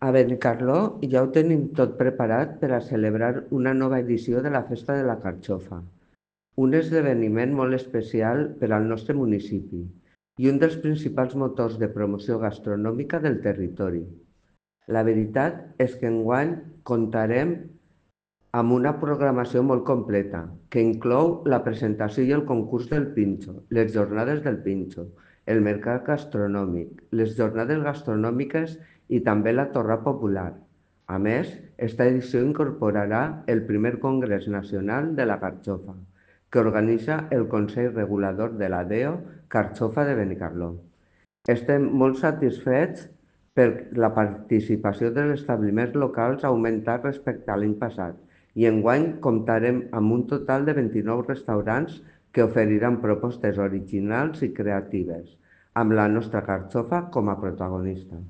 A Benicarló ja ho tenim tot preparat per a celebrar una nova edició de la Festa de la Carxofa, un esdeveniment molt especial per al nostre municipi i un dels principals motors de promoció gastronòmica del territori. La veritat és que enguany comptarem amb una programació molt completa, que inclou la presentació i el concurs del Pinxo, les jornades del Pinxo, el mercat gastronòmic, les jornades gastronòmiques i també la torra popular. A més, esta edició incorporarà el primer Congrés Nacional de la Carxofa, que organitza el Consell Regulador de la DEO Carxofa de Benicarló. Estem molt satisfets per la participació dels establiments locals ha augmentat respecte a l'any passat i enguany comptarem amb un total de 29 restaurants que oferiran propostes originals i creatives, amb la nostra carxofa com a protagonista.